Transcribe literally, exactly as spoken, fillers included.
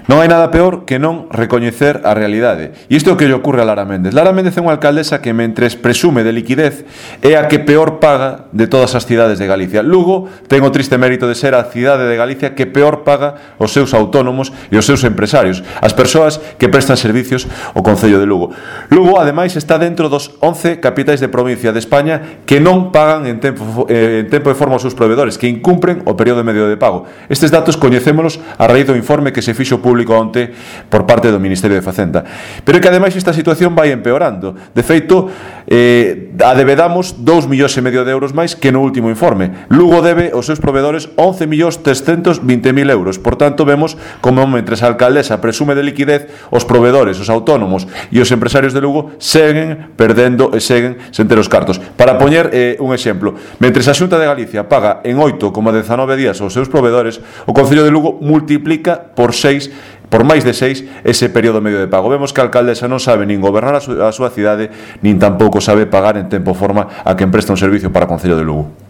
Non hai nada peor que non recoñecer a realidade. E isto é o que lle ocorre a Lara Méndez. Lara Méndez é unha alcaldesa que, mentres presume de liquidez, é a que peor paga de todas as cidades de Galicia. Lugo ten o triste mérito de ser a cidade de Galicia que peor paga os seus autónomos e os seus empresarios, as persoas que prestan servicios ao Concello de Lugo. Lugo, ademais, está dentro dos once capitais de provincia de España que non pagan en tempo, eh, en tempo e forma os seus provedores, que incumpren o período medio de pago. Estes datos coñecémolos a raíz do informe que se fixo público onte por parte do Ministerio de Facenda. Pero é que ademais esta situación vai empeorando. De feito, eh, adebedamos dous millóns e medio de euros máis que no último informe. Lugo debe aos seus provedores once millóns trescentos vinte mil euros. Por tanto, vemos como mentre a alcaldesa presume de liquidez, os provedores, os autónomos e os empresarios de Lugo seguen perdendo e seguen sen ter os cartos. Para poñer eh, un exemplo, mentre a Xunta de Galicia paga en oito coma dezanove días aos seus provedores, o Concello de Lugo multiplica por seis por máis de seis ese período medio de pago. Vemos que a alcaldesa non sabe nin gobernar a súa cidade, nin tampouco sabe pagar en tempo e forma a quen presta un servicio para o Concello de Lugo.